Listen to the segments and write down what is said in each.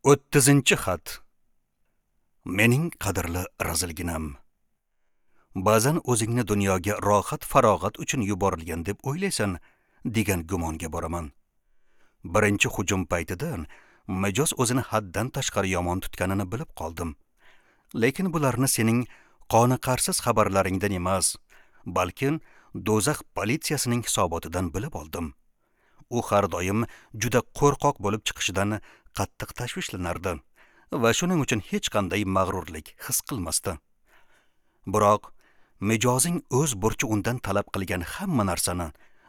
30-xat. Mening qadrli razilginam. Ba'zan o'zingni dunyoga rohat farog'at uchun yuborilgan deb o'ylaysan degan gumonga boraman. Birinchi hujum paytida mijoz o'zini haddan tashqari yomon tutganini bilib qoldim. Lekin bularni sening qoniqarsiz xabarlaringdan emas, balki do'zax politsiyasining hisobotidan bilib oldim. U har doim juda qo'rqoq bo'lib chiqishidan qattiq tashvishlanardi va shuning uchun hech qanday mag'rurlik his qilmasdi. Biroq mijozing o'z burchi undan talab qilgan hamma narsani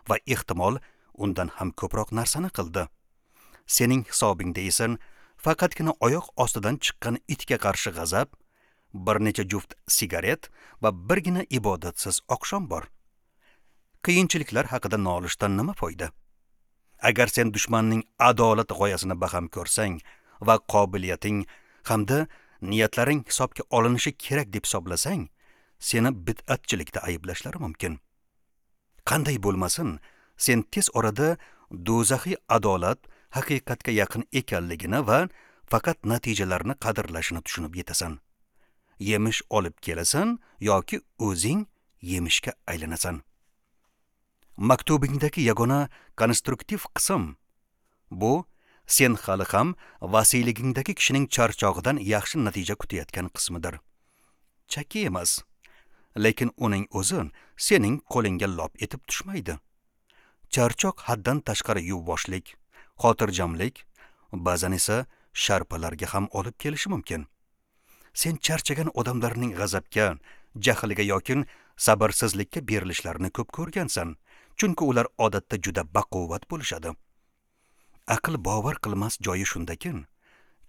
va ehtimol undan ham ko'proq narsani qildi. Sening hisobingda esa faqatgina oyoq ostidan chiqqan itga qarshi g'azab, bir necha juft sigaret va birgina ibodatsiz oqshom bor. Qiyinchiliklar haqida nolishdan nima foyda? Agar sen dushmanning adolat g'oyasini baham ko'rsang va qobiliyating hamda niyatlaring hisobga olinishi kerak deb hisoblasang, seni bid'atchilikda ayblashlari mumkin. Qanday bo'lmasin, sen tez orada do'zaxiy adolat haqiqatga yaqin ekanligini va faqat natijalarni qadrlashini tushunib yetasan. Yemish olib kelasan yoki o'zing yemishga aylanasan. Maktubingdagi yagona konstruktiv qism bu sen hali ham vasiyligingdagi kishining charchog'idan yaxshi natija kutayotgan qismidir. Chakki emas, lekin uning o'zi sening qo'lingga lop etib tushmaydi. Charchoq haddan tashqari yuvvoshlik, xotirjamlik, ba'zan esa sharpalarga ham olib kelishi mumkin. Sen charchagan odamlarning g'azabga, jahlga yoki sabrsizlikka berilishlarini ko'p ko'rgansan, chunki ular odatda juda baquvvat bo'lishadi. Aql bovar qilmas joyi shundakin,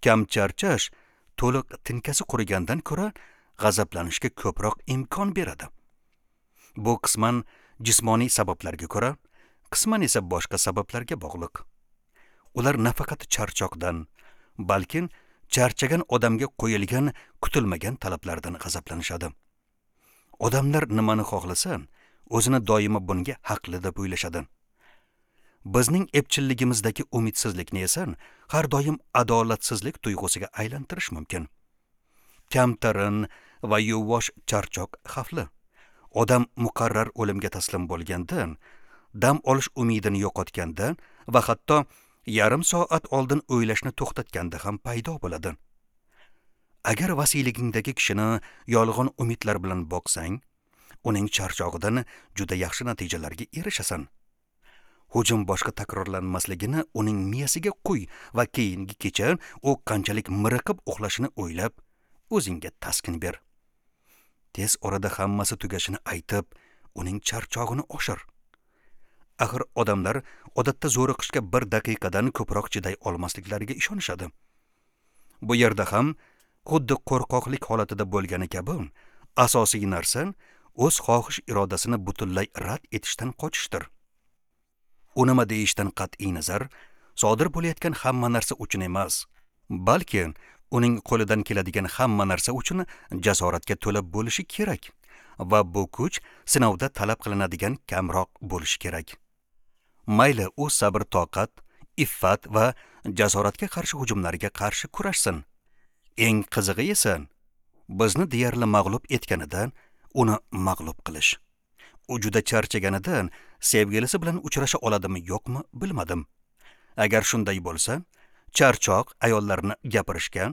kam charchash to'liq tinkasi qurigandan ko'ra g'azablanishga ko'proq imkon beradi. Bu qisman jismoniy sabablarga ko'ra, qisman esa boshqa sabablarga bog'liq. Ular nafaqat charchoqdan, balki charchagan odamga qo'yilgan kutilmagan talablardan g'azablanishadi. Odamlar nimani xohlasa, o'zini doimo bunga haqli deb o'ylashadi. Bizning epchilligimizdagi umidsizlikni esa har doim adolatsizlik tuyg'usiga aylantirish mumkin. Kamtarin va yuvosh charchoq xavfli. Odam muqarrar o'limga taslim bo'lganda, dam olish umidini yo'qotganda va hatto yarim soat oldin o'ylashni to'xtatganda ham paydo bo'ladi. Agar vasiyligingdagi kishini yolg'on umidlar bilan boqsang, uning charchog'idan juda yaxshi natijalarga erishasan. Hujum boshqa takrorlanmasligini uning miyasiga quy va keyingi kecha u qanchalik miriqib uxlashini o'ylab, o'zingga taskin ber. Tez orada hammasi tugashini aytib, uning charchog'ini oshir. Axir odamlar odatda zo'riqishga bir daqiqadan ko'proq chiday olmasliklariga ishonishadi. Bu yerda ham xuddi qo'rqoqlik holatida bo'lgani kabi, asosiy narsa o'z xohish irodasini butunlay rad etishdan qochishdir. U nima deyishdan qat'iy nazar, sodir bo'layotgan hamma narsa uchun emas, balki uning qo'lidan keladigan hamma narsa uchun jasoratga to'la bo'lishi kerak va bu kuch sinovda talab qilinadigan kamroq bo'lishi kerak. Mayli u sabr-toqat, iffat va jasoratga qarshi hujumlarga qarshi kurashsin. Eng qizig'i esa bizni deyarli mag'lub etganida uni mag'lub qilish. U juda charchaganida sevgilisi bilan uchrasha oladimi yo'qmi bilmadim. Agar shunday bo'lsa, charchoq ayollarni gapirishga,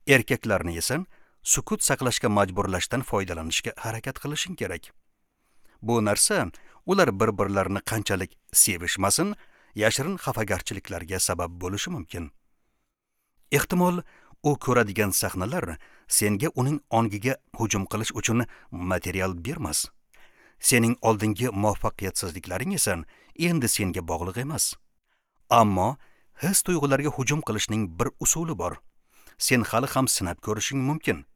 erkaklarni esa sukut saqlashga majburlashdan foydalanishga harakat qilishing kerak. Bu narsa ular bir-birlarini qanchalik sevishmasin, yashirin xafagarchiliklarga sabab bo'lishi mumkin. Ehtimol u ko'radigan sahnalar senga uning ongiga hujum qilish uchun material bermas. Sening oldingi muvaffaqiyatsizliklaring esa endi senga bog'liq emas. Ammo his tuyg'ularga hujum qilishning bir usuli bor. Sen hali ham sinab ko'rishing mumkin.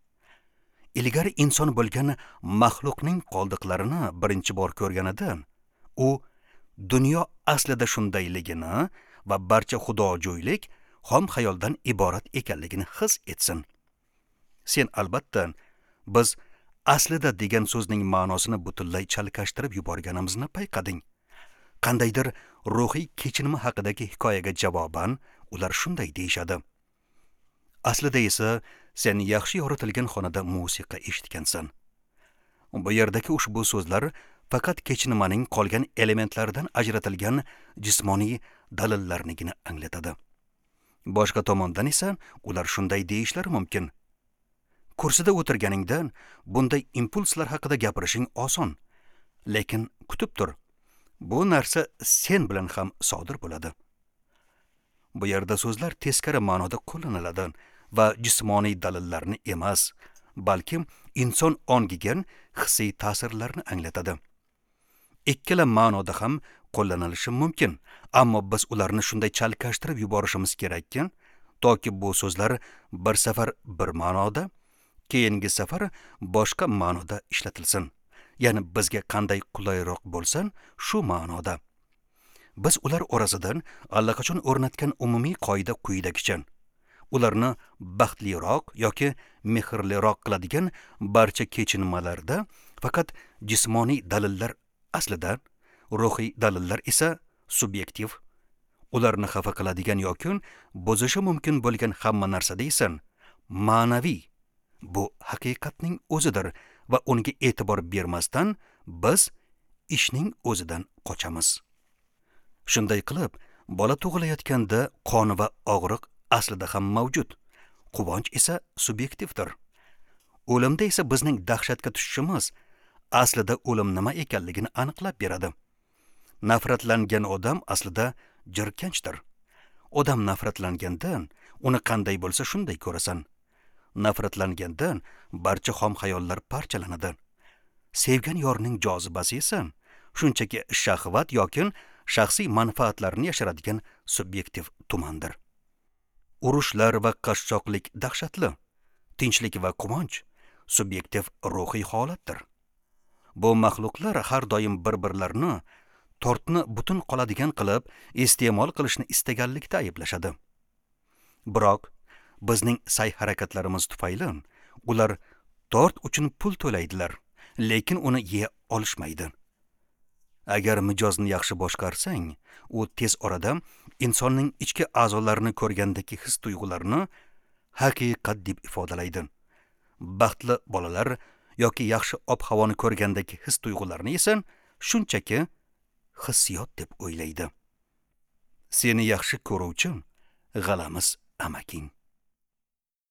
Ilgari inson bo'lgan maxluqning qoldiqlarini birinchi bor ko'rganida, u dunyo aslida shundayligini va barcha xudojo'ylik xom xayoldan iborat ekanligini his etsin. Sen albatta biz aslida degan so'zning ma'nosini butunlay chalkashtirib yuborganimizni payqading. Qandaydir ruhiy kechinma haqidagi hikoyaga javoban ular shunday deyishadi. Aslida esa sen yaxshi yoritilgan xonada musiqa eshitgansan. Bu yerdagi ushbu so'zlar faqat kechinmaning qolgan elementlaridan ajratilgan jismoniy dalillarnigina anglatadi. Boshqa tomondan esa ular shunday deyishlari mumkin. Kursida o'tirganingda bunday impulslar haqida gapirishing oson, lekin kutib tur. Bu narsa sen bilan ham sodir bo'ladi. Bu yerda so'zlar teskari ma'noda qo'llaniladi va jismoniy dalillarni emas, balki inson ongiga hissiy ta'sirlarni anglatadi. Ikkala ma'noda ham qo'llanilishi mumkin, ammo biz ularni shunday chalkashtirib yuborishimiz kerakki, toki bu so'zlar bir safar bir ma'noda, keyingi safar boshqa ma'noda ishlatilsin. Ya'ni bizga qanday qulayroq bo'lsin, shu ma'noda. Biz ular orasidan allaqachon o'rnatgan umumiy qoida quyidagicha. Ularni baxtliroq yoki mehrliroq qiladigan barcha kechinmalarda faqat jismoniy dalillar aslida, ruhiy dalillar esa subyektiv. Ularni xafa qiladigan yoki buzishi mumkin bo'lgan hamma narsada esa ma'naviy, bu haqiqatning o'zidir va unga e'tibor bermasdan biz ishning o'zidan qochamiz. Shunday qilib, bola tug'ilayotganda qon va og'riq aslida ham mavjud, quvonch esa subyektivdir. O'limda esa bizning dahshatga tushishimiz aslida o'lim nima ekanligini aniqlab beradi. Nafratlangan odam aslida jirkanchdir. Odam nafratlangandan uni qanday bo'lsa shunday ko'rasan. Nafratlangandan barcha xom xayollar parchalanadi. Sevgan yorning jozibasi esa shunchaki shahvat yoki shaxsiy manfaatlarni yashiradigan subyektiv tumandir. Urushlar va qashshoqlik dahshatli, tinchlik va quvonch subyektiv ruhiy holatdir. Bu maxluqlar har doim bir-birlarini tortni butun qoladigan qilib iste'mol qilishni istaganlikda ayblashadi. Biroq bizning sa'y-harakatlarimiz tufayli ular tort uchun pul to'laydilar, lekin uni yeya olishmaydi. Agar mijozni yaxshi boshqarsang, u tez orada insonning ichki a'zolarini ko'rgandagi his-tuyg'ularni haqiqat deb ifodalaydi. Baxtli bolalar yoki yaxshi ob-havoni ko'rgandagi his-tuyg'ularni esa shunchaki hissiyot deb o'ylaydi. Seni yaxshi ko'ruvchi g'alamis amaking.